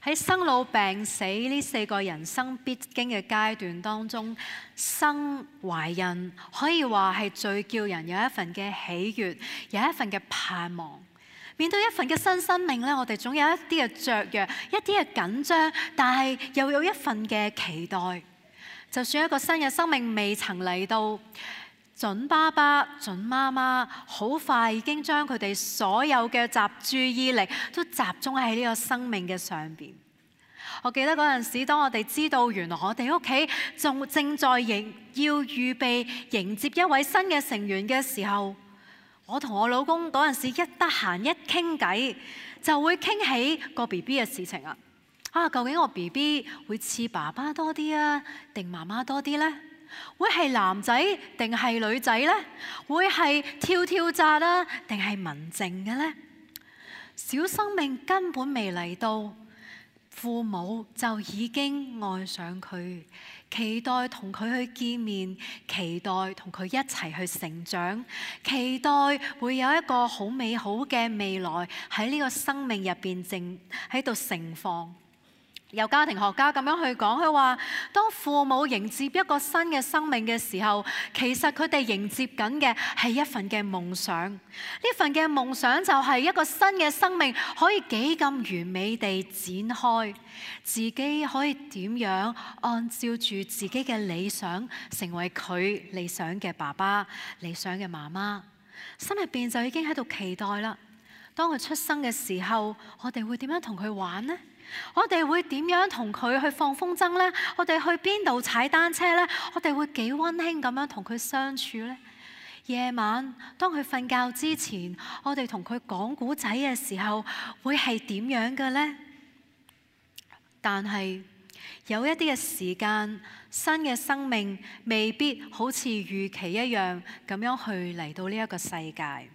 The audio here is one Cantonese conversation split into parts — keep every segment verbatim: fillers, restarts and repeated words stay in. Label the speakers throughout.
Speaker 1: 喺生老病死呢四個人生必經嘅階段當中，生懷孕可以話係最叫人有一份嘅喜悅，有一份嘅盼望。面對一份嘅新生命咧，我哋總有一啲嘅雀躍，一啲嘅緊張，但係又有一份嘅期待。就算一個新嘅生命未曾嚟到，準爸爸、準媽媽好快已經將佢哋所有嘅集注意力都集中喺呢個生命嘅上邊。我記得嗰陣時，當我哋知道原來我哋屋企仲正在迎要預備迎接一位新嘅成員嘅時候，我同我老公嗰陣時一得閒一傾偈，就會傾起個 B B 嘅事情啊！啊，究竟我 B B 會似爸爸多啲啊，定媽媽多啲呢？會係男仔定係女仔呢？會係跳跳紮啊，定係文靜嘅呢？小生命根本未嚟到，父母就已經愛上佢，期待同佢去見面，期待同佢一齊去成長，期待會有一個好美好嘅未來喺呢個生命入邊正喺度盛放。有家庭學家咁樣去講，佢話當父母迎接一個新嘅生命嘅時候，其實佢哋迎接緊嘅係一份嘅夢想。呢份嘅夢想就係一個新嘅生命可以幾咁完美地展開，自己可以點樣按照住自己嘅理想，成為佢理想嘅爸爸、理想嘅媽媽。心入邊就已經喺度期待啦。當佢出生嘅時候，我哋會點樣同佢玩呢？我哋會點樣同佢去放風箏呢？我哋去邊度踩單車呢？我哋會幾溫馨咁樣同佢相處呢？夜晚當佢瞓覺之前，我哋同佢講古仔嘅時候，會係點樣嘅呢？但係有一啲嘅時間，新嘅生命未必好似預期一樣咁樣去嚟到呢一個世界。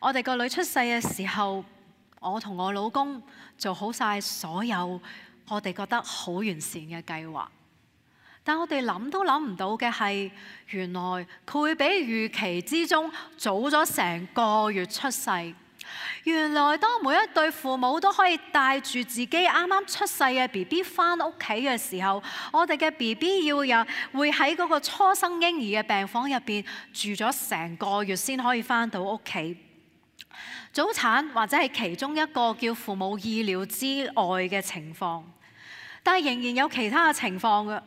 Speaker 1: 我哋個女出世嘅時候，我同我老公做好晒所有我哋覺得好完善嘅計劃，但我哋諗都諗唔到嘅係，原來佢會比預期之中早咗成個月出世。原來當每一對父母都可以帶住自己啱啱出世嘅 B B 返屋企嘅時候，我哋嘅 B B 要有會喺嗰個初生嬰兒嘅病房入邊住咗成個月先可以返到屋企。早產或者係其中一個叫父母意料之外嘅情況，但係仍然有其他嘅情況嘅。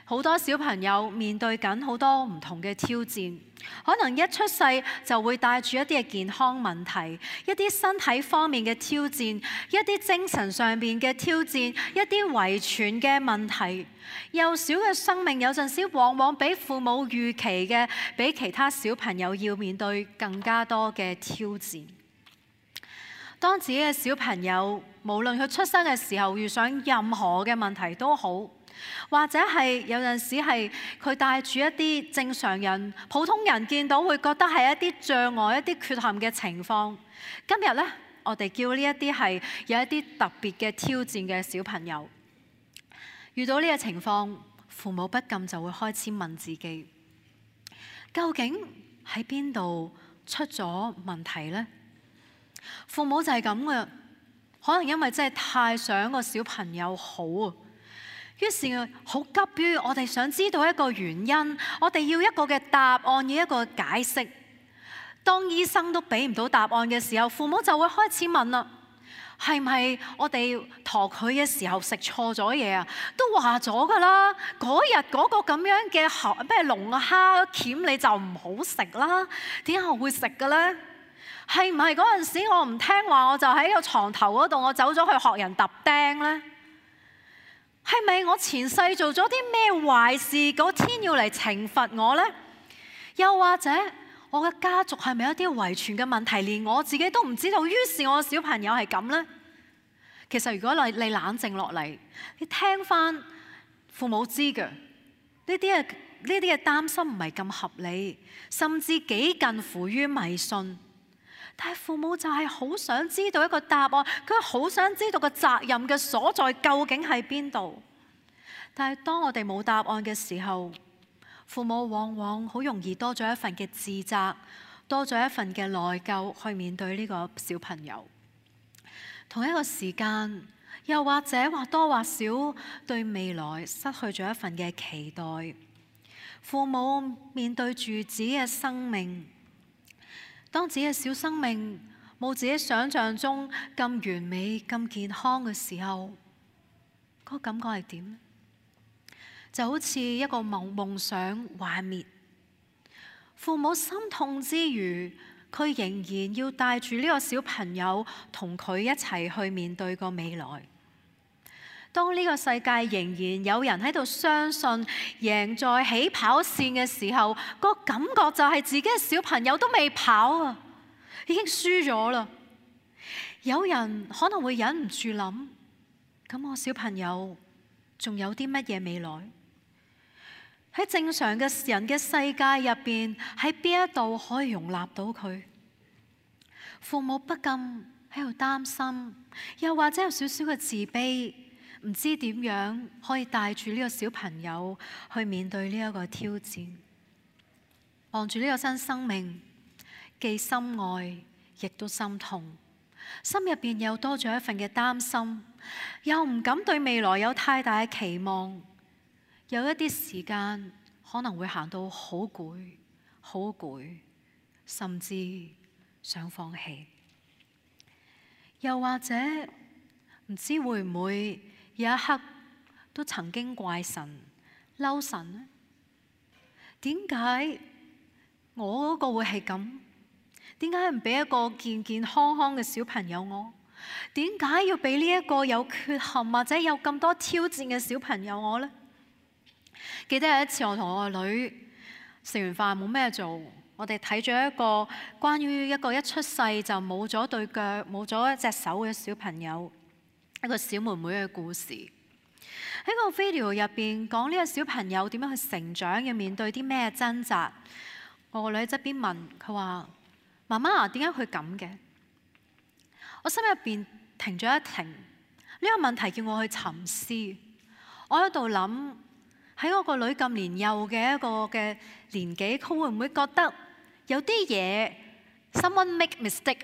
Speaker 1: 好多小朋友面對緊好多唔同嘅挑戰，可能一出世就會帶住一啲嘅健康問題，一啲身體方面嘅挑戰，一啲精神上面嘅挑戰，一啲遺傳嘅問題。幼小嘅生命有陣時往往比父母預期嘅，比其他小朋友要面對更加多嘅挑戰。當自己嘅小朋友無論佢出生嘅時候遇上任何嘅問題都好，或者係有陣時係佢帶住一啲正常人、普通人見到會覺得係一啲障礙、一啲缺陷嘅情況。今日呢，我哋叫呢一啲係有一啲特別嘅挑戰嘅小朋友，遇到呢個情況，父母不禁就會開始問自己：究竟喺邊度出咗問題呢？父母就係咁嘅，可能因為真係太想個小朋友好啊，於是好急於我哋想知道一個原因，我哋要一個嘅答案，要一個解釋。當醫生都俾唔到答案嘅時候，父母就會開始問啦：係唔係我哋陀佢嘅時候食錯咗嘢啊？都話咗噶啦，嗰日嗰個咁樣嘅蝦咩龍蝦鉗你就唔好食啦，點解我會食嘅咧？係唔係嗰陣時我唔聽話，我就喺個床頭嗰度，我走咗去學人揼釘呢？係咪我前世做咗啲咩壞事，嗰天要嚟懲罰我呢？又或者我嘅家族係咪有啲遺傳嘅問題，連我自己都唔知道，於是我嘅小朋友係咁呢？其實如果你你冷靜落嚟，你聽翻父母知嘅呢啲嘅呢啲嘅擔心唔係咁合理，甚至幾近乎於迷信。但係父母就係好想知道一個答案，佢好想知道個責任嘅所在究竟喺邊度。但係當我哋冇答案嘅時候，父母往往好容易多咗一份嘅自責，多咗一份嘅內疚去面對呢個小朋友。同一個時間，又或者或多或少對未來失去咗一份嘅期待。父母面對住自己嘅生命，當自己嘅小生命冇自己想象中咁完美、咁健康嘅時候，嗰個感覺係點？就好似一個夢夢想幻滅，父母心痛之餘，佢仍然要帶住呢個小朋友同佢一齊去面對個未來。當呢個世界仍然有人喺度相信贏在起跑線嘅時候，個感覺就係自己嘅小朋友都未跑啊，已經輸咗啦。有人可能會忍唔住諗：咁我小朋友仲有啲乜嘢未來？喺正常嘅人嘅世界入邊，喺邊一度可以容納到佢？父母不禁喺度擔心，又或者有少少嘅自卑，唔知點樣可以帶住呢個小朋友去面對呢一個挑戰。望住呢個新生命，既心愛亦都心痛，心入邊又多咗一份嘅擔心，又唔敢對未來有太大嘅期望。有一啲時間可能會行到好攰，好攰，甚至想放棄。又或者唔知會唔會有一刻都曾經怪神、嬲神呢？點解我嗰個會係咁？點解唔俾一個健健康康嘅小朋友我？點解要俾呢一個有缺陷或者有咁多挑戰嘅小朋友我呢？記得有一次我同我個女食完飯冇咩做，我哋睇咗一個關於一個一出世就冇咗對腳、冇咗一隻手嘅小朋友，一個小妹妹嘅故事。喺個 video 入邊講呢個小朋友點樣去成長，要面對啲咩掙扎。我個女喺側邊問佢話：媽媽，點解佢咁嘅？我心入邊停咗一停，呢個問題叫我去沉思。我喺度諗，喺我個女咁年幼嘅一個嘅年紀，佢會唔會覺得有啲嘢 someone make mistake，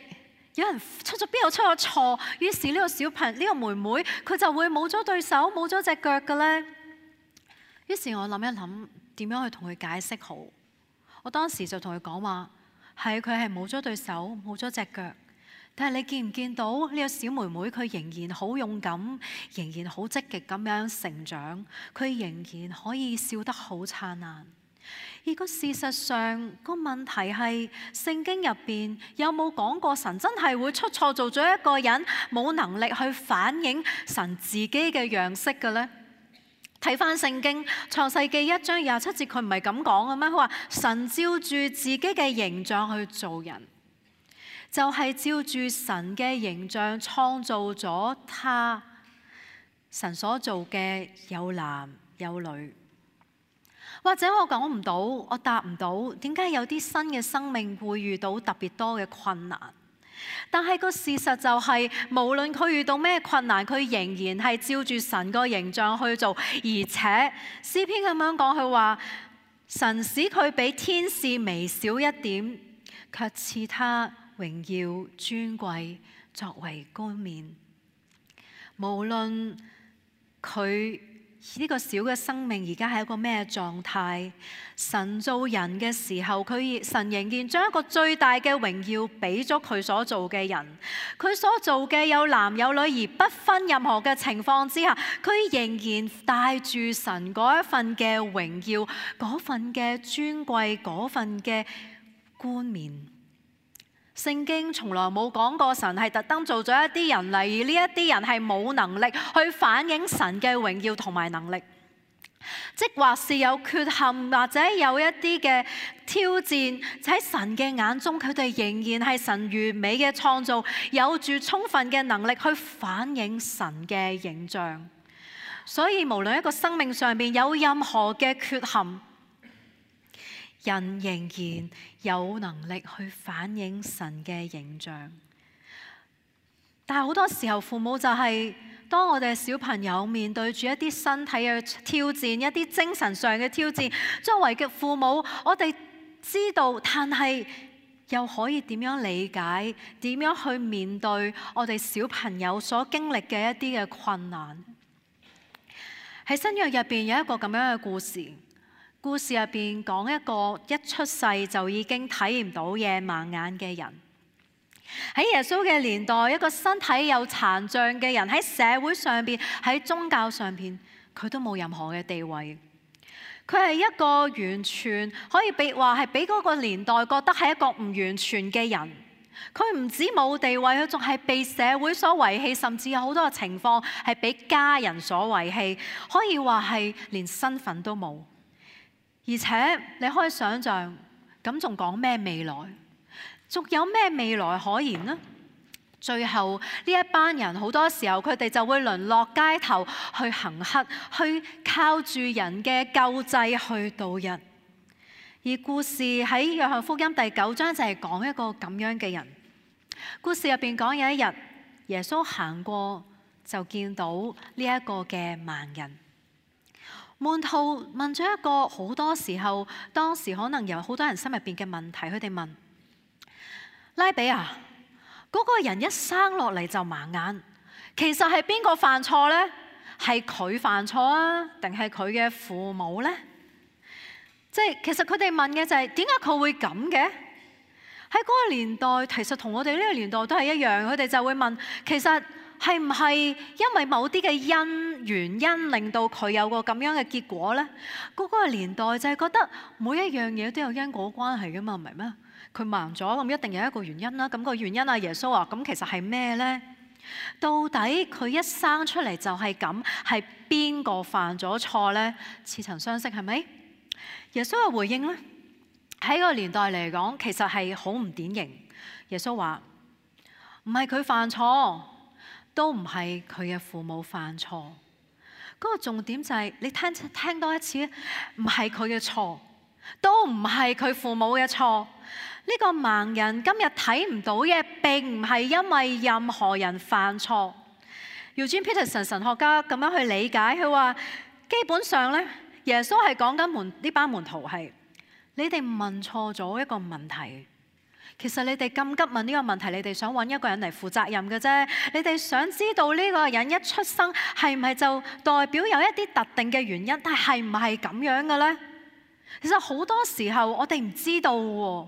Speaker 1: 有人出咗邊度出咗錯，於是呢個小朋友呢個妹妹佢就會冇咗對手冇咗隻腳嘅呢？於是我諗一諗點樣去同佢解釋好。我當時就同佢講話，係佢係冇咗對手冇咗隻腳，但係你見唔見到呢個小妹妹佢仍然好勇敢，仍然好積極咁樣成長，佢仍然可以笑得好燦爛。而個事實上個問題係聖經入邊有冇講過神真係會出錯做咗一個人冇能力去反映神自己嘅樣式嘅呢？睇翻聖經創世記一章廿七節，佢唔係咁講嘅咩？佢話神照住自己嘅形象去做人，就係照住神嘅形象創造咗他。神所做嘅有男有女。或者我講唔到，我答唔到，點解有啲新嘅生命會遇到特別多嘅困難？但係個事實就係，無論佢遇到咩困難，佢仍然係照住神個形象去做。而且詩篇咁樣講，佢話神使佢比天使微小一點，卻賜他榮耀尊貴作為冠冕。無論佢呢個小嘅生命而家係一個咩狀態，神做人嘅時候，佢神仍然將一個最大嘅榮耀俾咗佢所做嘅人。佢所做嘅有男有女，而不分任何嘅情況之下，佢仍然帶住神嗰一份嘅榮耀，嗰份嘅尊貴，嗰份嘅冠冕。聖經從來冇講過神係特登做咗一啲人嚟，而呢一啲人係冇能力去反映神嘅榮耀同埋能力，即或是有缺陷或者有一啲嘅挑戰，喺神嘅眼中，佢哋仍然係神完美嘅創造，有住充分嘅能力去反映神嘅形象。所以無論一個生命上面有任何嘅缺陷，人仍然有能力去反映神嘅形象。但係好多時候父母就係、是、當我哋小朋友面對住一啲身體嘅挑戰，一啲精神上嘅挑戰，作為嘅父母，我哋知道，但係又可以點樣理解？點樣去面對我哋小朋友所經歷嘅一啲嘅困難？喺新約入邊有一個咁樣嘅故事，故事入邊講一個一出世就已經睇唔到嘢盲眼嘅人。喺耶穌嘅年代，一個身體有殘障嘅人喺社會上邊、喺宗教上邊，佢都冇任何嘅地位。佢係一個完全可以被話係俾嗰個年代覺得係一個唔完全嘅人。佢唔止冇地位，佢仲係被社會所遺棄，甚至有好多嘅情況係俾家人所遺棄，可以話係連身份都冇。而且你可以想象，咁仲講咩未來？仲有咩未來可言呢？最後呢一班人好多時候佢哋就會淪落街頭去行乞，去靠住人嘅救濟去度日。而故事喺約翰福音第九章就係講一個咁樣嘅人。故事入邊講有一日耶穌行過就見到呢一個嘅盲人。門徒問咗一個好多時候當時可能有好多人心入邊嘅問題，佢哋問拉比啊，嗰個人一生落嚟就盲眼，其實係邊個犯錯呢？係佢犯錯啊，定係佢嘅父母呢？即係其實佢哋問嘅就係點解佢會咁嘅？喺嗰個年代，其實同我哋呢個年代都係一樣，佢哋就會問，其實係唔係因為某啲嘅因原因令到佢有個咁樣嘅結果呢？嗰個年代就係覺得每一樣嘢都有因果關係噶嘛，唔係咩？佢盲咗咁一定有一個原因啦。咁個原因啊，耶穌話咁其實係咩呢？到底佢一生出嚟就係咁，係邊個犯咗錯呢？似曾相識係咪？耶穌嘅回應呢，喺個年代嚟講，其實係好唔典型。耶穌話唔係佢犯錯，都唔係佢嘅父母犯錯。嗰個重點就係你聽聽多一次，唔係佢嘅錯，都唔係佢父母嘅錯。呢個盲人今日睇唔到嘅，並唔係因為任何人犯錯。Eugene Peterson 神學家咁樣去理解，佢話基本上咧，耶穌係講緊門呢班門徒係你哋問錯咗一個問題。其實你哋咁急問呢個問題，你哋想揾一個人嚟負責任嘅啫。你哋想知道呢個人一出生係唔係就代表有一啲特定嘅原因，但係唔係咁樣嘅咧？其實好多時候我哋唔知道喎。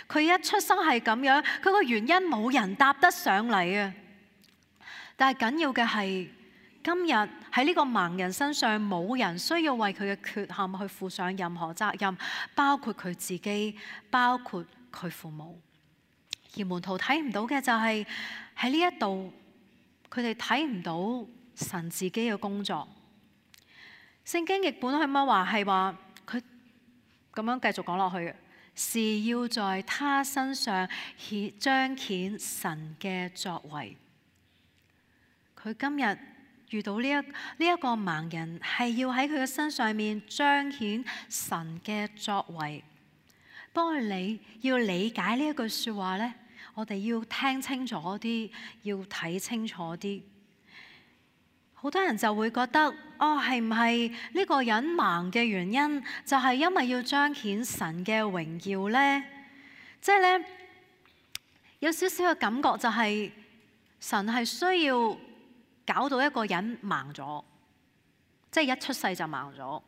Speaker 1: 佢一出生係咁樣，佢個原因冇人答得上嚟啊！但係緊要嘅係，今日喺呢個盲人身上，冇人需要為佢嘅缺陷去負上任何責任，包括佢自己，包括佢父母。而門徒睇唔到嘅就係喺呢一度，佢哋睇唔到神自己嘅工作。聖經譯本係乜話？係話佢咁樣繼續講落去嘅。是要在他身上顯彰顯神嘅作為。佢今日遇到呢一呢一個盲人，係要喺佢嘅身上面彰顯神嘅作為。不過你要理解呢一句說話呢，我哋要聽清楚啲，要睇清楚啲。好多人就會覺得，哦，係唔係呢個人盲嘅原因，就係因為要彰顯神嘅榮耀呢？即係咧，有少少嘅感覺就係神係需要搞到一個人盲咗，即係一出世就盲咗，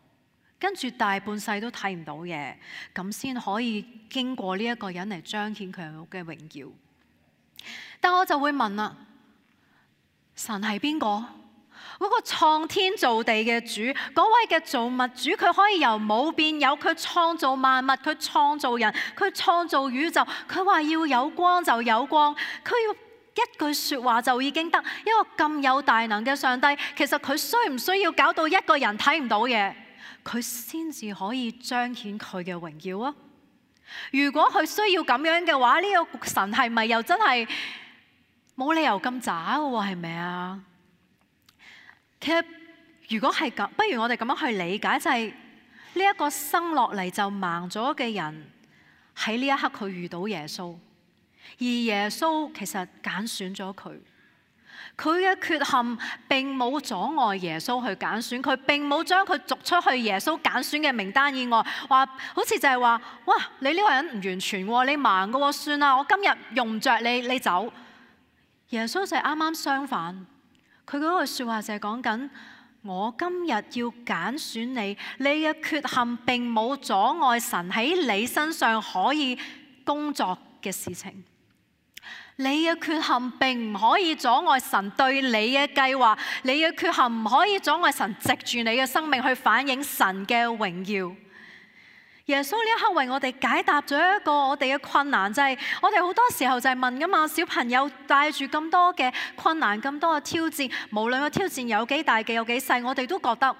Speaker 1: 跟住大半世都睇唔到嘢，咁先可以經過呢一個人嚟彰顯佢嘅榮耀。但我就會問啦，神係邊個？嗰個創天造地嘅主，嗰位嘅造物主，佢可以由冇變有，佢創造萬物，佢創造人，佢創造宇宙，佢話要有光就有光，佢要一句說話就已經得。一個咁有大能嘅上帝，其實佢需唔需要搞到一個人睇唔到嘢，佢先至可以彰顯佢嘅榮耀啊？如果佢需要咁樣嘅話，呢個神係咪又真係冇理由咁渣嘅喎？係咪啊？其實如果係咁，不如我哋咁樣去理解，就係呢一個生落嚟就盲咗嘅人，喺呢一刻佢遇到耶穌，而耶穌其實揀選咗佢，佢嘅缺陷並冇阻礙耶穌去揀選佢，並冇將佢逐出去耶穌揀選嘅名單以外。話好似就係話：哇！你呢個人唔完全喎，你盲嘅喎，算啦，我今日用唔着你，你走。耶穌就係啱啱相反，佢嗰句説話就係講緊：我今日要揀選你，你嘅缺陷並冇阻礙神喺你身上可以工作嘅事情。你嘅缺陷並唔可以阻礙神對你嘅計劃，你嘅缺陷唔可以阻礙神藉住你嘅生命去反映神嘅榮耀。耶穌呢一刻為我哋解答咗一個我哋嘅困難，就係我哋好多時候就係問噶嘛，小朋友帶住咁多嘅困難、咁多嘅挑戰，無論個挑戰有幾大嘅有幾細，我哋都覺得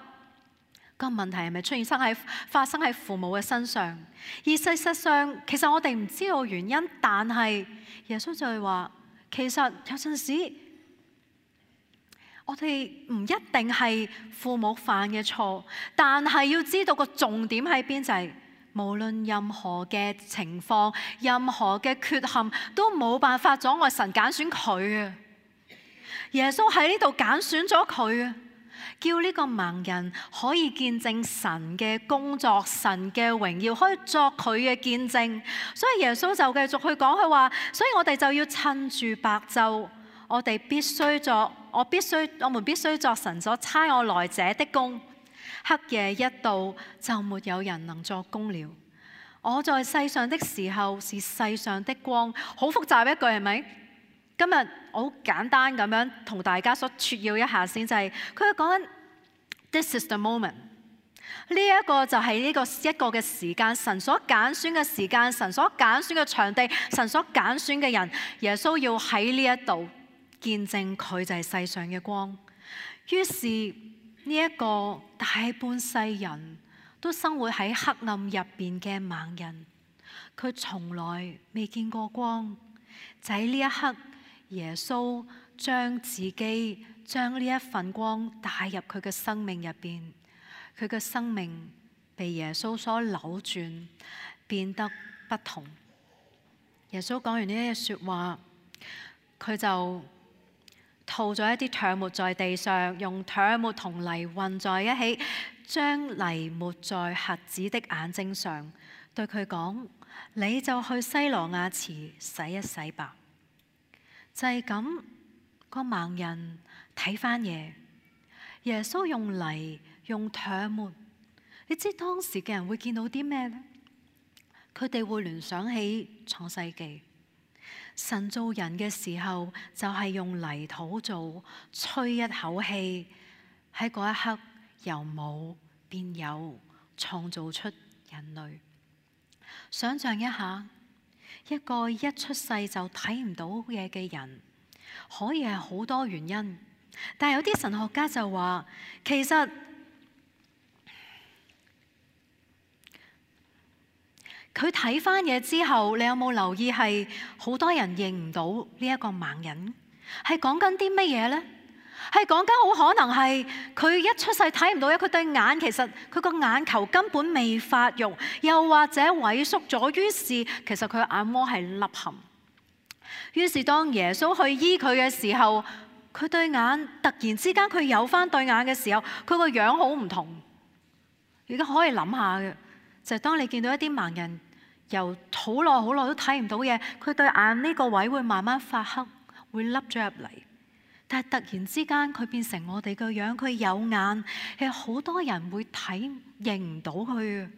Speaker 1: 個問題係咪出現生喺發生喺父母嘅身上？而事實上，其實我哋唔知道原因，但係耶穌就係話，其實有陣時我哋唔一定係父母犯嘅錯，但係要知道個重點喺邊，就係無論任何嘅情況、任何嘅缺陷，都冇辦法阻礙神揀選佢啊！耶穌喺呢度揀選咗佢啊！叫呢個盲人可以見證神嘅工作、神嘅榮耀，可以作佢嘅見證。所以耶穌就繼續去講，佢話：所以我哋就要趁住白晝，我哋必須作，我必須，我們必須作神所差我來者的工。黑夜一到，就沒有人能作工了。我在世上的時候是世上的光。好複雜一句係咪？今日我好簡單咁樣同大家所撮要一下先，就係佢講緊 This is the moment。呢一個就係呢個一個嘅時間，神所揀選嘅時間，神所揀選嘅場地，神所揀選嘅人，耶穌要喺呢一度見證佢就係世上嘅光。於是呢一個大半世人都生活喺黑暗入邊嘅盲人，佢從來未見過光，就喺呢一刻。耶穌將自己將呢一份光帶入佢嘅生命入邊，佢嘅生命被耶穌所扭轉，變得不同。耶穌講完呢啲說話，佢就吐咗一啲唾沫在地上，用唾沫同泥混在一起，將泥抹在瞎子的眼睛上，對佢講：你就去西羅亞池洗一洗吧。就係咁，個盲人睇返嘢。耶穌用泥用唾沫，你知當時嘅人會見到啲咩呢？佢哋會聯想起創世記，神造人嘅時候就係用泥土做，吹一口氣，喺嗰一刻由冇變有，創造出人類。想象一下。一個一出世就睇唔到嘢嘅人，可以係好多原因，但係有啲神學家就話，其實佢睇返嘢之後，你有冇留意係好多人認唔到呢一個盲人？係講緊啲乜嘢呢？係講緊好可能係佢一出世睇唔到，佢對眼其實佢個眼球根本未發育，又或者萎縮咗，於是其實佢眼窩係凹陷。於是當耶穌去醫佢嘅時候，佢對眼突然之間佢有返對眼嘅時候，佢個樣好唔同。而家可以諗下嘅就係當你見到一啲盲人由好耐好耐都睇唔到嘢，佢對眼呢個位會慢慢發黑，會凹咗入嚟。但係突然之間佢變成我哋個樣，佢有眼，係好多人會睇認唔到佢。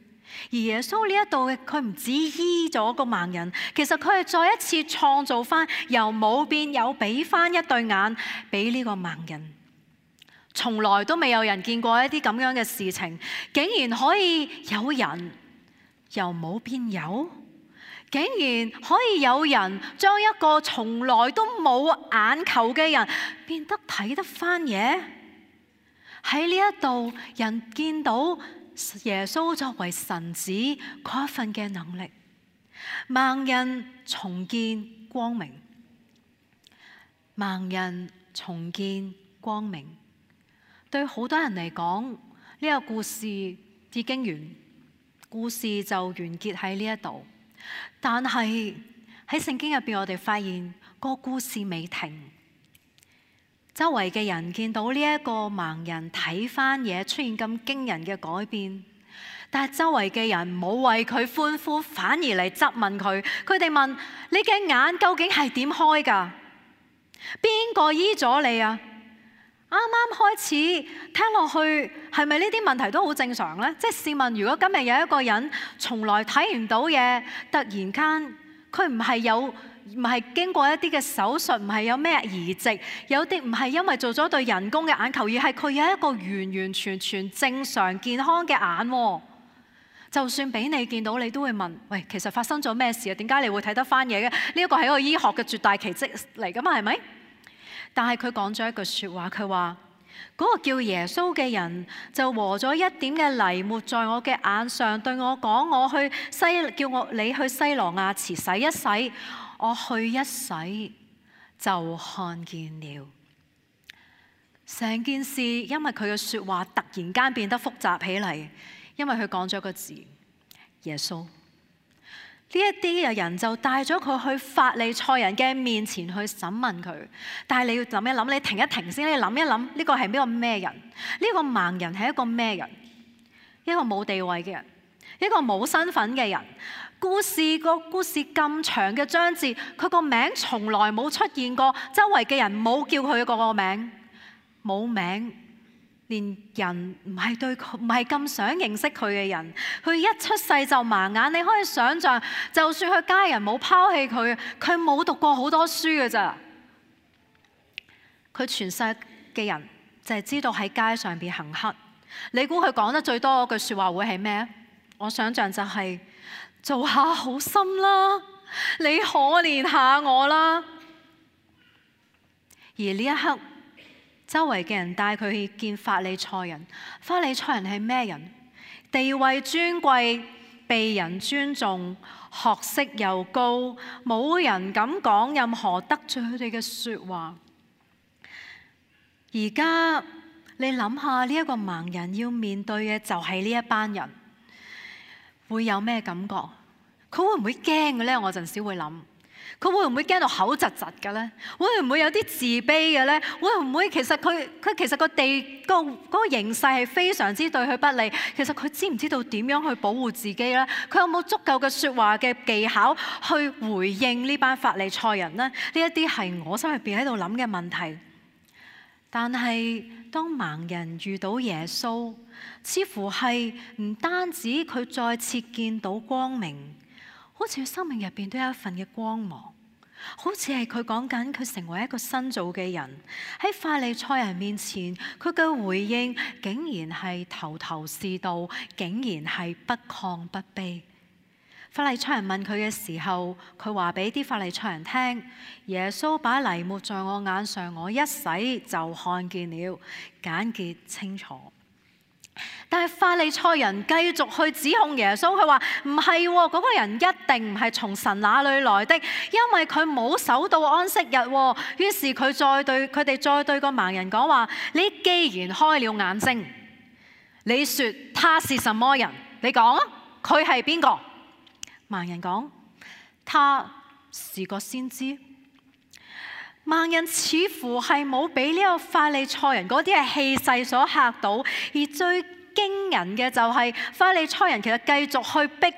Speaker 1: 而耶穌呢一度嘅佢唔止醫咗個盲人，其實佢係再一次創造翻由冇變有，俾翻一對眼俾呢個盲人。從來都未有人見過一啲咁樣嘅事情，竟然可以有人由冇變有。竟然可以有人將一個從來都冇眼球嘅人變得睇得返嘢。喺呢一度，人見到耶穌作為神子嗰一份嘅能力，盲人重見光明，盲人重見光明。對好多人嚟講，呢個故事已經完，故事就完結喺呢一度。但係喺聖經入邊，我哋發現個故事未停。周圍嘅人見到呢一個盲人睇返嘢出現咁驚人嘅改變，但係周圍嘅人冇為佢歡呼，反而嚟質問佢。佢哋問：你嘅眼究竟係點開㗎？邊個醫咗你啊？啱啱開始聽落去，係咪呢啲問題都好正常呢？即係試問，如果今日有一個人從來睇唔到嘢，突然間佢唔係有唔係經過一啲嘅手術，唔係有咩移植，有啲唔係因為做咗對人工嘅眼球，而係佢有一個完完全全正常健康嘅眼喎。就算俾你見到，你都會問：喂，其實發生咗咩事啊？點解你會睇得翻嘢嘅？呢一個係一個醫學嘅絕大奇蹟嚟㗎嘛，係咪？但係佢講咗一句説話，佢話嗰個叫耶穌嘅人就和咗一點嘅泥抹在我嘅眼上，對我講：我去西叫我你去西羅亞池洗一洗。我去一洗就看見了。成件事因為佢嘅説話突然間變得複雜起嚟，因為佢講咗個字耶穌。呢一啲嘅人就帶咗佢去法利賽人嘅面前去審問佢。但係你要諗一諗，你停一停先，你諗一諗呢個係呢個咩人？呢個盲人係一個咩人？一個冇地位嘅人，一個冇身份嘅人。故事個故事咁長嘅章節，佢個名從來冇出現過，周圍嘅人冇叫佢個個名，冇名。連人唔係對佢唔係咁想認識佢嘅人，佢一出世就盲眼。你可以想象，就算佢家人冇拋棄佢，佢冇讀過好多書嘅咋。佢全世嘅人就係知道喺街上邊行乞。你估佢講得最多嗰句説話會係咩？我想象就係、是、做下好心啦，你可憐下我啦。而呢一刻，周圍嘅人帶佢去見法利賽人。法利賽人係咩人？地位尊貴，被人尊重，學識又高，冇人敢講任何得罪佢哋嘅説話。而家你諗下，呢一個盲人要面對嘅就係呢一班人，會有咩感覺？佢會唔會驚嘅呢？我陣時會諗。佢會唔會驚到口窒窒嘅咧？會唔會有啲自卑嘅咧？會唔會其實佢佢其實個地個嗰個形勢係非常之對佢不利？其實佢知唔知道點樣去保護自己咧？佢有冇足夠嘅説話嘅技巧去回應呢班法利賽人呢？呢一啲係我心入邊喺度諗嘅問題。但係當盲人遇到耶穌，似乎係唔單止佢再次見到光明。好似佢生命入邊都有一份嘅光芒，好似係佢講緊佢成為一個新造嘅人。喺法利賽人面前，佢嘅回應竟然係頭頭是道，竟然係不亢不卑。法利賽人問佢嘅時候，佢話俾啲法利賽人聽：耶穌把泥抹在我眼上，我一洗就看見了，簡潔清楚。但係法利賽人繼續去指控耶穌，佢話唔係喎，嗰個人一定唔係從神那裏來的，因為佢冇守到安息日喎。於是佢再對佢哋再對個盲人講話：你既然開了眼睛，你說他是什麼人？你講啊，佢係邊個？盲人講：他是個先知。盲人似乎係冇俾呢個法利賽人嗰啲嘅氣勢所嚇到，而最驚人嘅就係法利賽人其實繼續去逼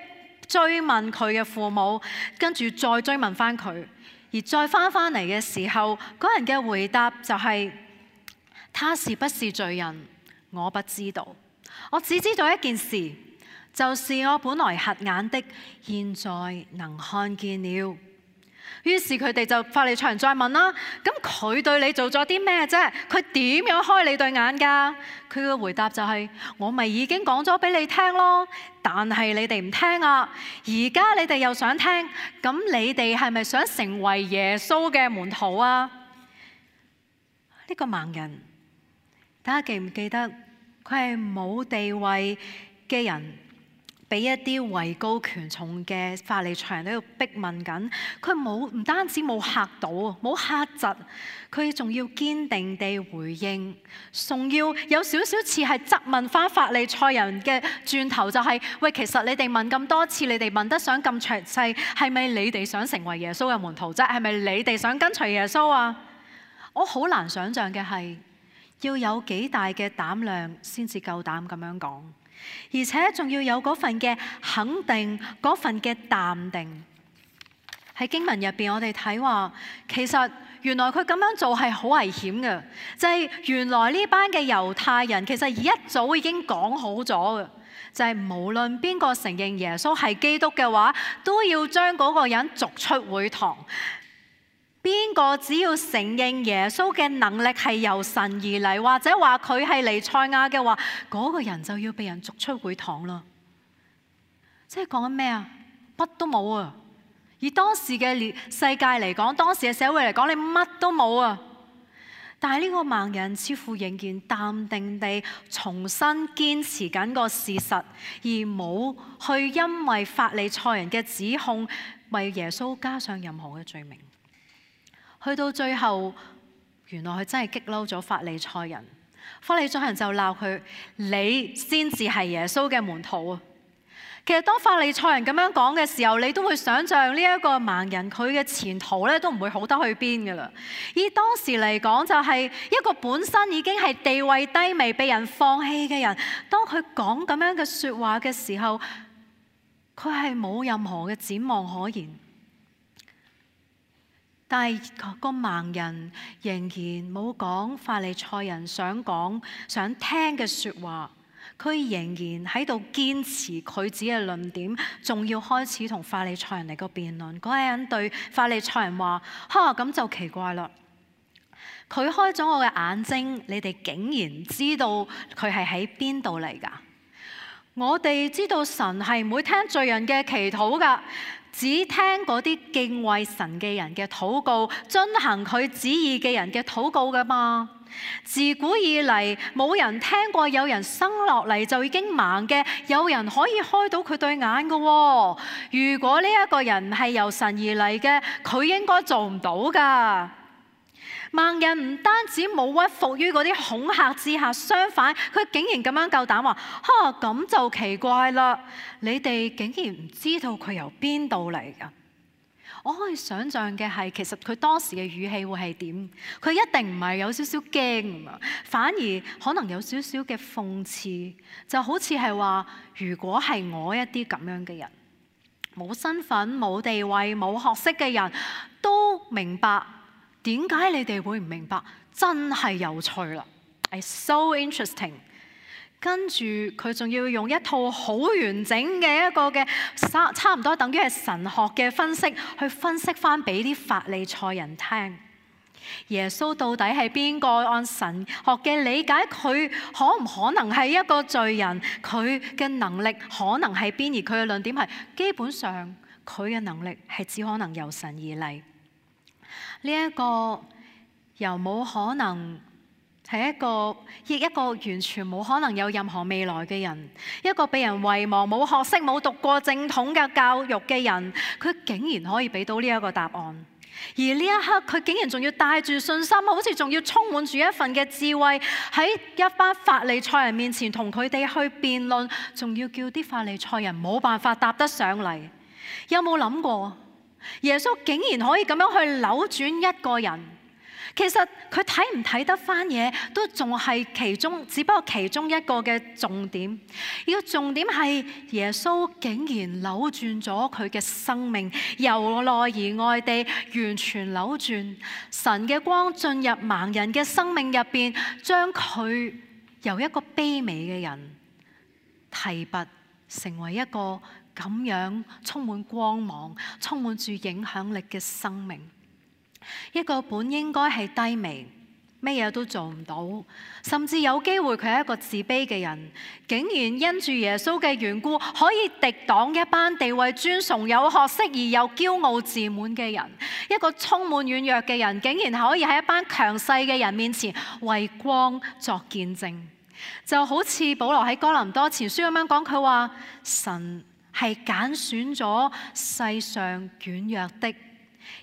Speaker 1: 追問佢嘅父母，跟住再追問翻佢，而再翻翻嚟嘅時候，嗰人嘅回答就係：他是不是罪人，我不知道，我只知道一件事，就是我本來瞎眼的，現在能看見了。於是佢哋就法利賽人再問啦，咁佢對你做咗啲咩啫？佢點樣開你對眼㗎？佢嘅回答就係：我咪已經講咗俾你聽咯，但係你哋唔聽啊！而家你哋又想聽，咁你哋係咪想成為耶穌嘅門徒啊？呢個盲人，大家記唔記得佢係冇地位嘅人？俾一啲位高權重嘅法利賽人喺度逼問緊，佢冇唔單止冇嚇到，冇嚇窒，佢仲要堅定地回應，仲要有少少似係質問翻法利賽人嘅轉頭，就係：喂，其實你哋問咁多次，你哋問得想咁詳細，係咪你哋想成為耶穌嘅門徒啫？係咪你哋想跟隨耶穌啊？我好難想像嘅係要有幾大嘅膽量先至夠膽咁樣講，而且仲要有嗰份嘅肯定，嗰份嘅淡定。喺經文入邊，我哋睇話，其實原來佢咁樣做係好危險嘅，就係原來呢班嘅猶太人其實一早已經講好咗嘅，就係無論邊個承認耶穌係基督嘅話，都要將嗰個人逐出會堂。邊個只要承認耶穌嘅能力係由神而嚟，或者話佢係彌賽亞嘅話，嗰個人就要被人逐出會堂啦。即係講緊咩啊？乜都冇啊！以當時嘅世界嚟講，當時嘅社會嚟講，你乜都冇啊！但係呢個盲人似乎仍然淡定地重新堅持緊個事實，而冇去因為法利賽人嘅指控為耶穌加上任何嘅罪名。去到最後，原來佢真係激嬲咗法利賽人，法利賽人就鬧佢：你先至係耶穌嘅門徒啊！其實當法利賽人咁樣講嘅時候，你都會想像呢一個盲人佢嘅前途咧都唔會好得去邊㗎啦。以當時嚟講，就係一個本身已經係地位低微、被人放棄嘅人，當佢講咁樣嘅説話嘅時候，佢係冇任何嘅展望可言。但係個盲人仍然冇講法利賽人想講、想聽嘅説話。佢仍然喺度堅持佢自己嘅論點，仲要開始同法利賽人嚟個辯論。嗰個人對法利賽人話：哈，咁就奇怪啦！佢開咗我嘅眼睛，你哋竟然知道佢係喺邊度嚟㗎？我哋知道神係唔會聽罪人嘅祈禱㗎，只聽嗰啲敬畏神嘅人嘅禱告，遵行佢旨意嘅人嘅禱告㗎嘛。自古以嚟冇人聽過有人生落嚟就已經盲嘅，有人可以開到佢對眼嘅喎。如果呢一個人係由神而嚟嘅，佢應該做唔到㗎。盲人唔單止冇屈服於嗰啲恐嚇之下，相反佢竟然咁樣夠膽話：哈，咁就奇怪啦！你哋竟然唔知道佢由邊度嚟㗎？我可以想像嘅係，其實佢當時嘅語氣會係點？佢一定唔係有少少驚啊，反而可能有少少嘅諷刺，就好似係話：如果係我一啲咁樣嘅人，冇身份、冇地位、冇學識嘅人都明白，點解你哋會唔明白？真係有趣啦！係 so interesting。跟住佢仲要用一套好完整嘅一個嘅差唔多等於係神學嘅分析，去分析翻俾啲法利賽人聽。耶穌到底係邊個？按神學嘅理解，佢可唔可能係一個罪人？佢嘅能力可能係邊？而佢嘅論點係基本上佢嘅能力係只可能由神而嚟。呢一個又冇可能。係一個亦一個完全冇可能有任何未來嘅人，一個被人遺忘、冇學識、冇讀過正統嘅教育嘅人，佢竟然可以俾到呢一個答案。而呢一刻，佢竟然仲要帶住信心，好似仲要充滿住一份嘅智慧，喺一班法利賽人面前同佢哋去辯論，仲要叫啲法利賽人冇辦法答得上嚟。有冇諗過，耶穌竟然可以咁樣去扭轉一個人？其實佢睇唔睇得翻嘢，都仲係其中，只不過其中一個嘅重點。而個重點係耶穌竟然扭轉咗佢嘅生命，由內而外地完全扭轉。神嘅光進入盲人嘅生命入邊，將佢由一個卑微嘅人提拔成為一個咁樣充滿光芒、充滿住影響力嘅生命。一個本應該係低微，乜嘢都做唔到，甚至有機會佢係一個自卑嘅人，竟然因住耶穌嘅緣故，可以敵擋一班地位尊崇、有學識而又驕傲自滿嘅人。一個充滿軟弱嘅人，竟然可以喺一班強勢嘅人面前為光作見證。就好似保羅喺哥林多前書咁樣講，佢話神係揀選咗世上軟弱的，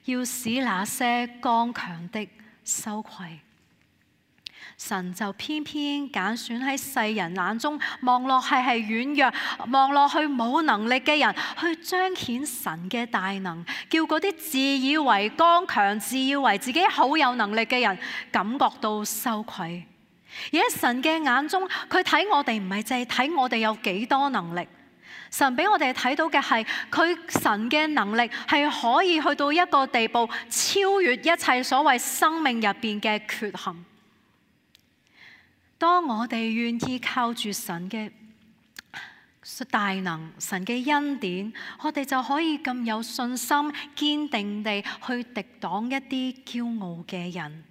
Speaker 1: 要使那些剛強的羞愧。神就偏偏揀選喺世人眼中望落係係軟弱、望落去冇能力嘅人，去彰顯神嘅大能，叫嗰啲自以為剛強、自以為自己好有能力嘅人感覺到羞愧。而喺神嘅眼中，佢睇我哋唔係淨係睇我哋有幾多能力，神俾我哋睇到嘅係佢神嘅能力係可以去到一個地步，超越一切所謂生命入邊嘅缺陷。當我哋願意靠住神嘅大能、神嘅恩典，我哋就可以咁有信心、堅定地去敵擋一啲驕傲嘅人。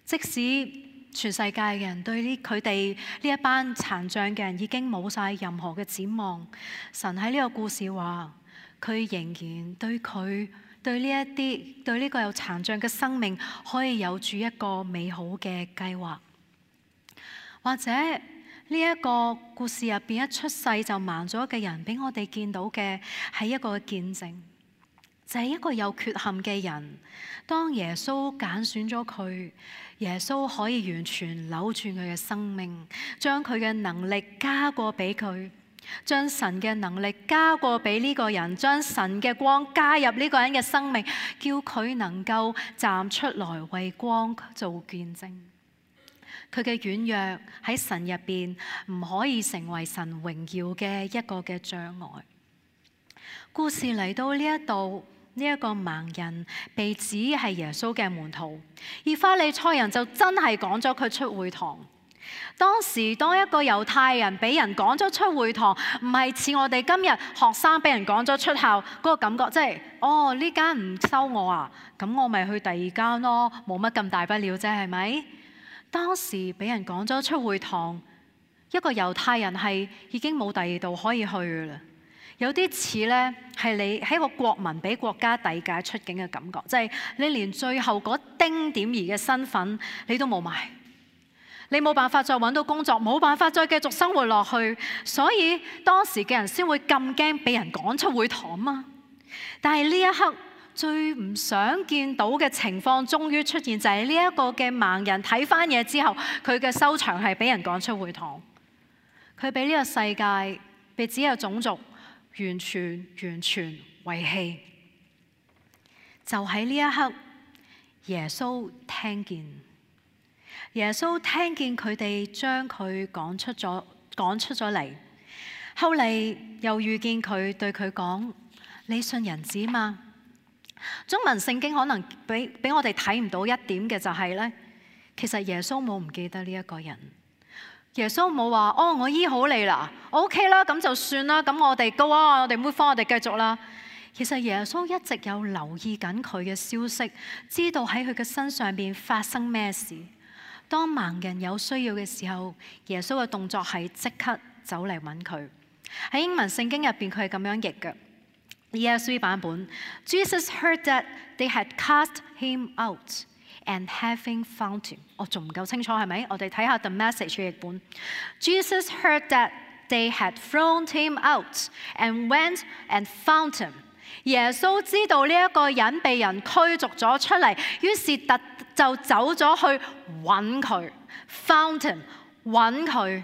Speaker 1: 即使全世界嘅人對呢佢哋呢一班殘障嘅人已經冇晒任何嘅展望，神喺呢個故事話，佢仍然對佢對呢一啲對呢個有殘障嘅生命，可以有住一個美好嘅計劃。或者呢一個故事入邊一出世就盲咗嘅人，俾我哋見到嘅係一個見證，就係一個有缺陷嘅人。當耶穌揀選咗佢，耶穌可以完全扭轉佢嘅生命，將佢嘅能力加過俾佢，將神嘅能力加過俾呢個人，將神嘅光加入呢個人嘅生命，叫佢能夠站出來為光做見證。佢嘅軟弱喺神入邊唔可以成為神榮耀嘅一個嘅障礙。故事嚟到呢一度，呢一個盲人被指係耶穌嘅門徒，而法利賽人就真係趕咗佢出會堂。當時當一個猶太人俾人趕咗出會堂，唔係似我哋今日學生俾人趕咗出校嗰個感覺，即係哦呢間唔收我啊，咁我咪去第二間咯，冇乜咁大不了啫，係咪？當時俾人趕咗出會堂，一個猶太人係已經冇第二度可以去嘅啦。有啲似呢，係你喺個國民俾國家遞解出境嘅感覺，即係你連最後嗰丁點兒嘅身份你都冇埋，你冇辦法再揾到工作，冇辦法再繼續生活落去，所以當時嘅人先會咁驚俾人趕出會堂嘛。但係呢一刻，最唔想見到嘅情況終於出現，就係呢一個嘅盲人睇翻嘢之後，佢嘅收場係俾人趕出會堂。佢俾呢個世界，被只有種族完全完全遺棄。就喺呢一刻，耶穌聽見，耶穌聽見佢哋將佢趕出咗，趕出咗嚟。後嚟又遇見佢，對佢講：你信人子嗎？中文聖經可能俾俾我哋睇唔到一點嘅就係咧，其實耶穌冇唔記得呢一個人。耶穌冇話：哦，我醫好你啦，我 OK 啦，咁就算啦，咁我哋 go 啊，我哋 move on，我哋繼續啦。其實耶穌一直有留意緊佢嘅消息，知道喺佢嘅身上邊發生咩事。當盲人有需要嘅時候，耶穌嘅動作係即刻走嚟揾佢。喺英文聖經入邊，佢係咁樣譯嘅。E S V 版本 ，Jesus heard that they had cast him out, and having found him， 我仲唔夠清楚係咪？我哋睇下 The Message 嘅譯本。Jesus heard that they had thrown him out, and went and found him。耶穌知道呢一個人被人驅逐咗出嚟，於是特就走咗去揾佢 ，found him， 揾佢。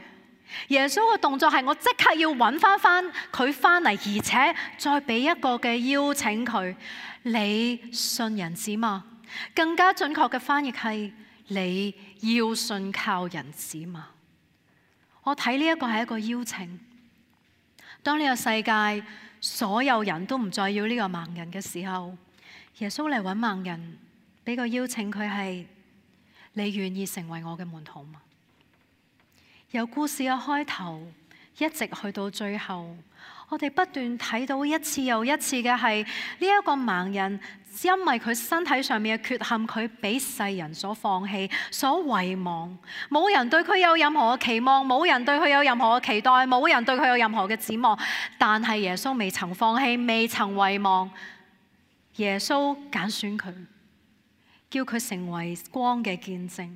Speaker 1: 耶穌嘅動作係我即刻要揾翻翻佢翻嚟，而且再俾一個嘅邀請佢。你信人子嗎？更加準確嘅翻譯係你要信靠人子嗎？我睇呢一個係一個邀請。當呢個世界所有人都唔再要呢個盲人嘅時候，耶穌嚟揾盲人，俾個邀請佢係：你願意成為我嘅門徒嗎？由故事嘅開頭一直去到最後，我哋不斷睇到一次又一次嘅係呢一個盲人，因為佢身體上面嘅缺陷，佢俾世人所放棄、所遺忘。冇人對佢有任何嘅期望，冇人對佢有任何嘅期待，冇人對佢有任何嘅指望。但係耶穌未曾放棄，未曾遺忘。耶穌揀選佢，叫佢成為光嘅見證。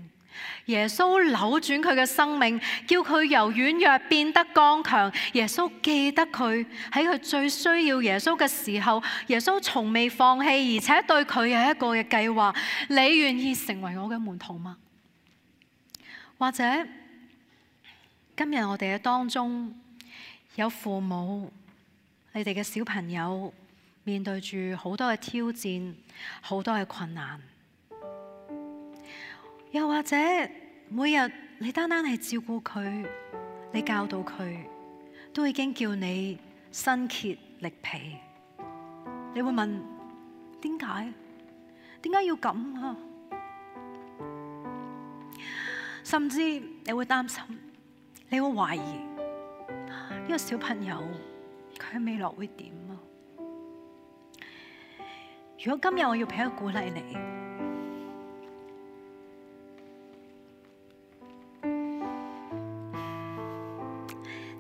Speaker 1: 耶穌扭轉佢嘅生命，叫佢由軟弱變得剛強。耶穌記得佢喺佢最需要耶穌嘅時候，耶穌從未放棄，而且對佢有一個嘅計劃。你願意成為我嘅門徒嗎？或者今日我哋嘅當中有父母，你哋嘅小朋友面對住好多嘅挑戰，好多嘅困難，又或者每日你單單係照顧佢，你教導佢，都已經叫你身竭力疲。你會問點解？點解要咁啊？甚至你會擔心，你會懷疑呢個小朋友佢未來會點啊？如果今日我要俾一個鼓勵你，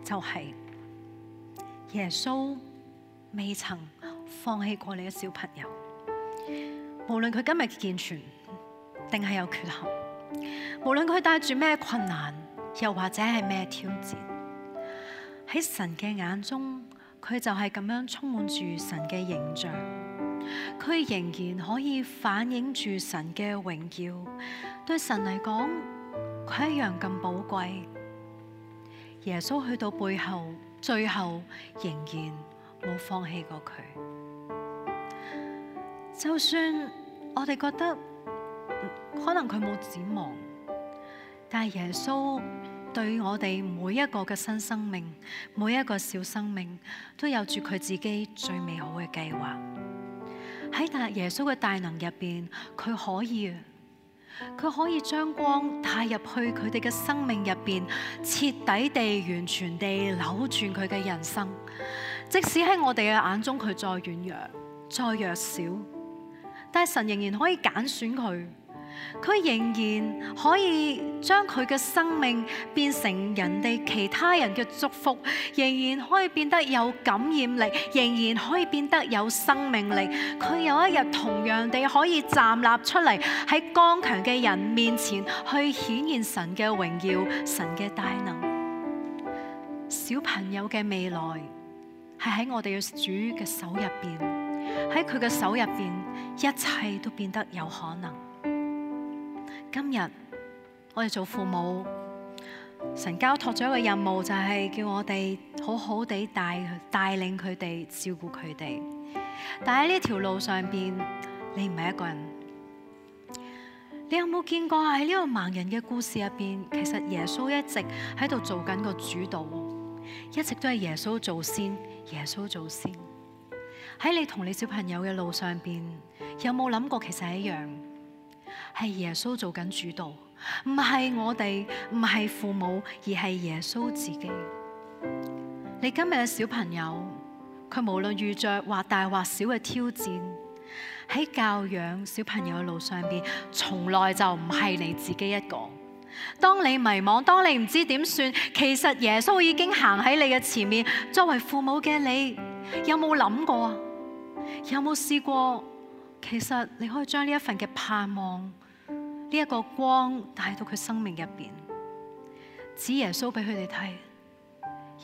Speaker 1: 就係耶穌未曾放棄過你嘅小朋友，無論佢今日健全定係有缺陷，無論佢帶住咩困難，又或者係咩挑戰，喺神嘅眼中，佢就係咁樣充滿住神嘅形象，佢仍然可以反映住神嘅榮耀。對神嚟講，佢一樣咁寶貴。耶穌去到背後，最後仍然冇放棄過佢。就算我哋覺得可能佢冇展望，但係耶穌對我哋每一個嘅新生命，每一個小生命，都有住佢自己最美好嘅計劃。喺大耶穌嘅大能入邊，佢可以，佢可以將光帶入去佢哋嘅生命入邊，徹底地、完全地扭轉佢嘅人生。即使喺我哋嘅眼中，佢再軟弱、再弱小，但係神仍然可以揀選佢。佢仍然可以將佢嘅生命變成人哋其他人嘅祝福，仍然可以變得有感染力，仍然可以變得有生命力。佢有一日同樣地可以站立出嚟，喺剛強嘅人面前去顯現神嘅榮耀、神嘅大能。小朋友嘅未來係喺我哋嘅主嘅手入邊，喺佢嘅手入邊，一切都變得有可能。今日我哋做父母，神交託咗一個任務，就係叫我哋好好地帶帶領佢哋，照顧佢哋。但喺呢條路上邊，你唔係一個人。你有冇見過喺呢個盲人嘅故事入邊，其實耶穌一直喺度做緊個主導，一直都係耶穌做先，耶穌做先。喺你同你小朋友嘅路上邊，有冇諗過其實係一樣？係耶穌做緊主導，唔係我哋，唔係父母，而係耶穌自己。你今日嘅小朋友，佢無論遇着或大或小嘅挑戰，喺教養小朋友嘅路上邊，從來就唔係你自己一個。當你迷茫，當你唔知點算，其實耶穌已經行喺你嘅前面。作為父母嘅你，有冇諗過啊？有冇試過？其實你可以將呢一份嘅盼望，呢一個光帶到佢生命入邊，指耶穌俾佢哋睇。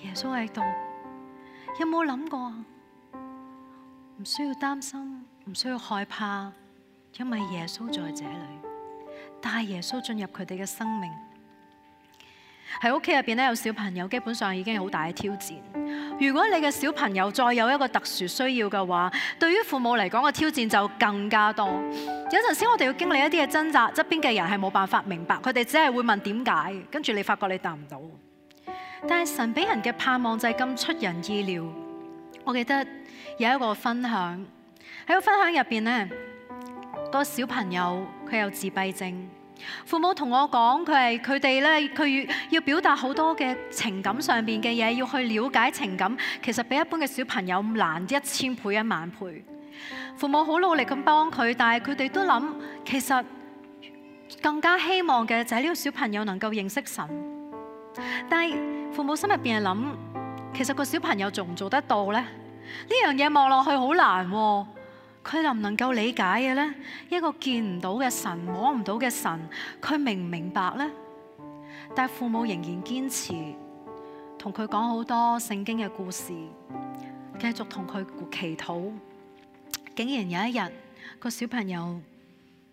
Speaker 1: 耶穌喺度，有冇諗過？唔需要擔心，唔需要害怕，因為耶穌在這裏，帶耶穌進入佢哋嘅生命。喺屋企入邊咧，有小朋友基本上已經係好大嘅挑戰。如果你嘅小朋友再有一個特殊需要嘅話，對於父母嚟講個挑戰就更加多。有陣時我哋要經歷一啲嘅掙扎，側邊嘅人係冇辦法明白，佢哋只係會問點解，跟住你發覺你答唔到。但係神俾人嘅盼望就係咁出人意料。我記得有一個分享，喺個分享入邊呢，個小朋友佢有自閉症。父母同我講，佢係佢哋咧，佢要表達好多嘅情感上邊嘅嘢，要去了解情感，其實比一般嘅小朋友難一千倍一萬倍。父母好努力咁幫佢，但係佢哋都諗，其實更加希望嘅就係呢個小朋友能夠認識神。但係父母心入邊係諗，其實個小朋友做唔做得到呢？呢樣嘢望落去好難喎。佢能唔能夠理解嘅呢？一個見唔到嘅神，摸唔到嘅神，佢明唔明白呢？但係父母仍然堅持同佢講好多聖經嘅故事，繼續同佢祈禱。竟然有一日，個小朋友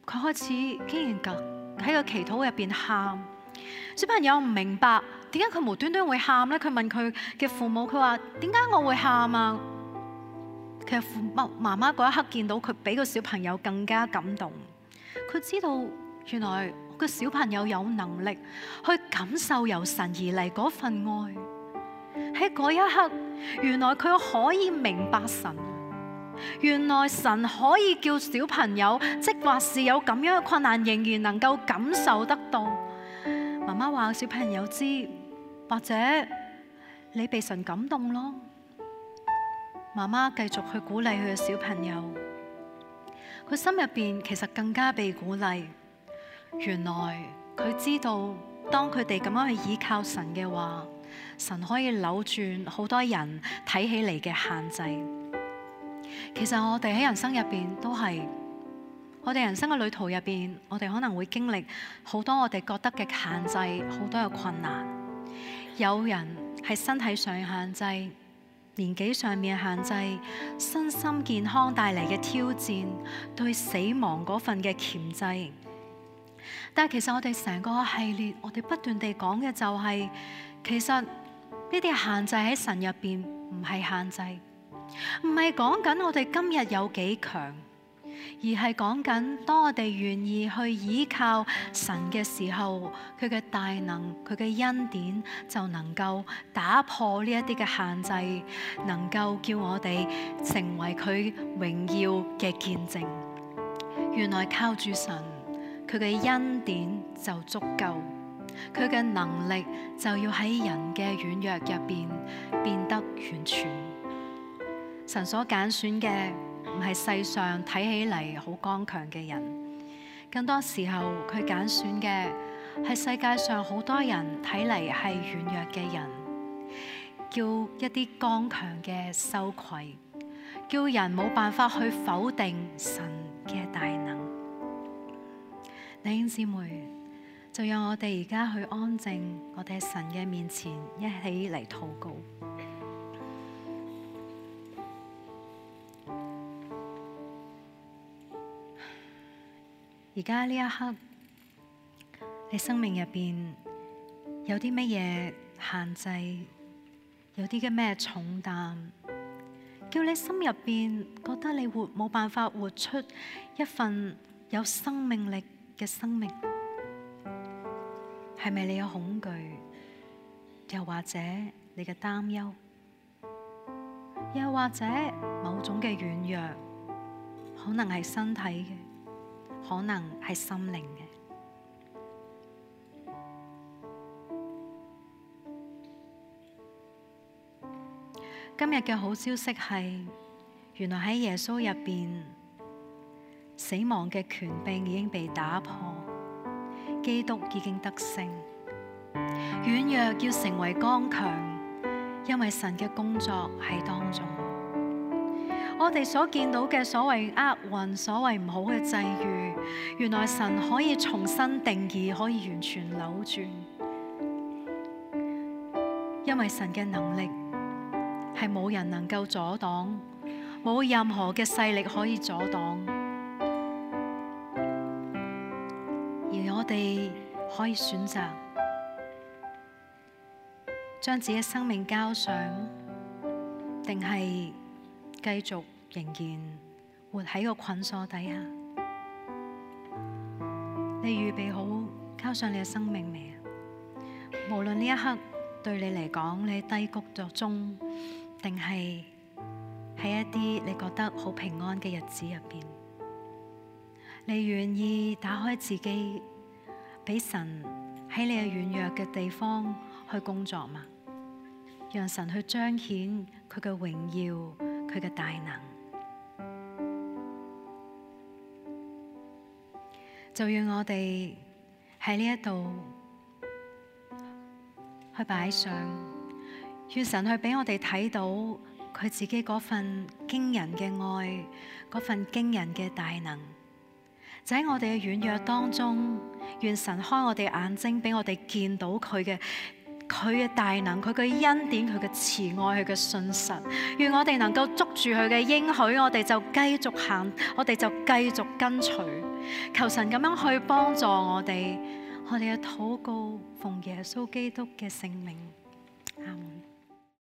Speaker 1: 佢開始竟然喺個祈禱入邊喊，小朋友唔明白點解佢無端端會喊咧？佢問佢嘅父母，佢話點解我會喊啊？其實父母媽媽嗰一刻見到佢比個小朋友更加感動，佢知道原來個小朋友有能力去感受由神而嚟嗰份愛。喺嗰一刻，原來佢可以明白神，原來神可以叫小朋友，即或是有咁樣嘅困難，仍然能夠感受得到。媽媽話小朋友知，或者你被神感動咯。媽媽繼續去鼓勵佢嘅小朋友，佢心入邊其實更加被鼓勵。原來佢知道，當佢哋咁樣去依靠神嘅話，神可以扭轉好多人睇起嚟嘅限制。其實我哋喺人生入邊都係，我哋人生嘅旅途入邊，我哋可能會經歷好多我哋覺得嘅限制，好多嘅困難。有人係身體上嘅限制，年紀上面嘅限制，身心健康帶嚟嘅挑戰，對死亡嗰份嘅鉗制。但係其實我哋成個系列，我哋不斷地講嘅就係，其實呢啲限制喺神入邊唔係限制，唔係講緊我哋今日有幾強，而係講緊當我哋願意去依靠神嘅時候，佢嘅大能、佢嘅恩典就能夠打破呢一啲嘅限制，能夠叫我哋成為佢榮耀嘅見證。原來靠住神，佢嘅恩典就足夠，佢嘅能力就要喺人嘅軟弱入邊變得完全。神所揀選嘅唔係世上睇起嚟好剛強嘅人，更多時候佢揀選嘅係世界上好多人睇嚟係軟弱嘅人，叫一啲剛強嘅羞愧，叫人冇辦法去否定神嘅大能。弟兄姊妹，就讓我哋而家去安靜，我哋喺神嘅面前一起嚟禱告。而家呢一刻，你生命入邊有啲乜嘢限制，有啲嘅咩重擔，叫你心入邊覺得你活冇辦法活出一份有生命力嘅生命？係咪你有恐懼，又或者你嘅擔憂，又或者某種嘅軟弱，可能係身體嘅，可能係心靈嘅。今日嘅好消息係，原來喺耶穌入邊，死亡嘅權柄已經被打破，基督已經得勝。軟弱要成為剛強，因為神嘅工作喺當中。我哋所見到嘅所謂厄運，所謂唔好嘅際遇，原來神可以重新定義，可以完全扭轉。因為神嘅能力係冇人能夠阻擋，冇任何嘅勢力可以阻擋。而我哋可以選擇將自己嘅生命交上，定係繼續仍然活喺個捆鎖底下？你預備好交上你嘅生命未啊？無論呢一刻對你嚟講，你低谷咗中，定係喺一啲你覺得好平安嘅日子入邊，你願意打開自己，俾神喺你嘅軟弱嘅地方去工作嗎？讓神去彰顯佢嘅榮耀，佢嘅大能。就讓我哋喺呢一度去擺上，願神去俾我哋睇到佢自己嗰份驚人嘅愛，嗰份驚人嘅大能。就喺我哋嘅軟弱當中，願神開我哋眼睛，俾我哋見到佢嘅佢嘅大能，佢嘅恩典，佢嘅慈愛，佢嘅信實。願我哋能夠捉住佢嘅應許，我哋就繼續行，我哋就繼續跟隨。求神咁樣去幫助我哋，我哋嘅禱告奉耶穌基督嘅聖名，阿門。